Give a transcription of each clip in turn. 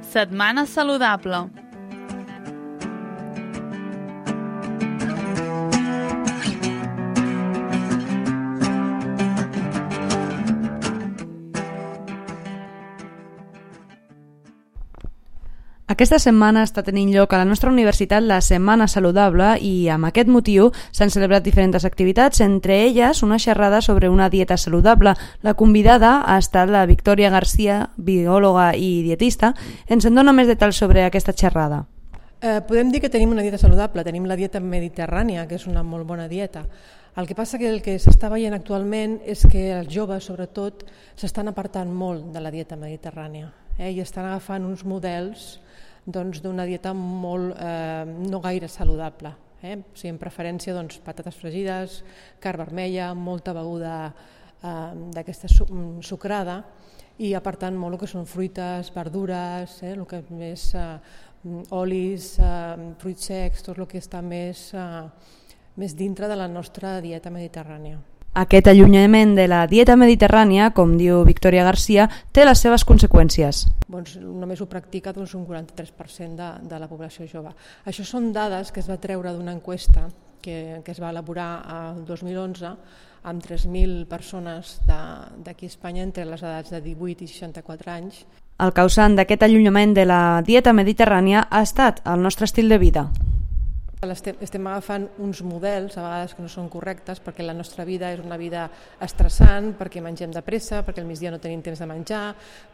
Setmana saludable. Aquesta setmana està tenint lloc a la nostra universitat la Setmana Saludable i amb aquest motiu s'han celebrat diferents activitats, entre elles una xerrada sobre una dieta saludable. La convidada ha estat la Victòria Garcia, biòloga i dietista. Ens en dona més detalls sobre aquesta xerrada. Podem dir que tenim una dieta saludable, tenim la dieta mediterrània, que és una molt bona dieta. El que passa que el que s'està veient actualment és que els joves, sobretot, s'estan apartant molt de la dieta mediterrània i estan agafant uns models d'una dieta molt, no gaire saludable. O sigui, en preferència patates fregides, carn vermella, molta beguda d'aquesta sucrada i apartant molt el que són fruites, verdures, el que més olis, fruits secs, tot el que està més dintre de la nostra dieta mediterrània. Aquest allunyament de la dieta mediterrània, com diu Victòria Garcia, té les seves conseqüències. Només ho practica un 43% de la població jove. Això són dades que es va treure d'una enquesta que es va elaborar el 2011 amb 3.000 persones d'aquí a Espanya entre les edats de 18 i 64 anys. El causant d'aquest allunyament de la dieta mediterrània ha estat el nostre estil de vida. Estem agafant uns models a vegades que no són correctes perquè la nostra vida és una vida estressant, perquè mengem de pressa, perquè al migdia no tenim temps de menjar,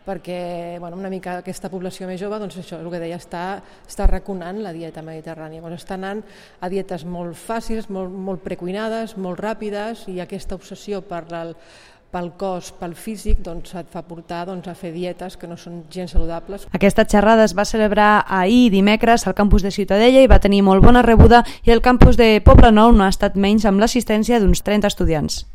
perquè una mica aquesta població més jove, això és el que deia, està arraconant la dieta mediterrània. Està anant a dietes molt fàcils, molt precuinades, molt ràpides, i aquesta obsessió pel cos, pel físic, et fa portar a fer dietes que no són gens saludables. Aquesta xerrada es va celebrar ahir dimecres al campus de Ciutadella i va tenir molt bona rebuda, i el campus de Poblenou no ha estat menys, amb l'assistència d'uns 30 estudiants.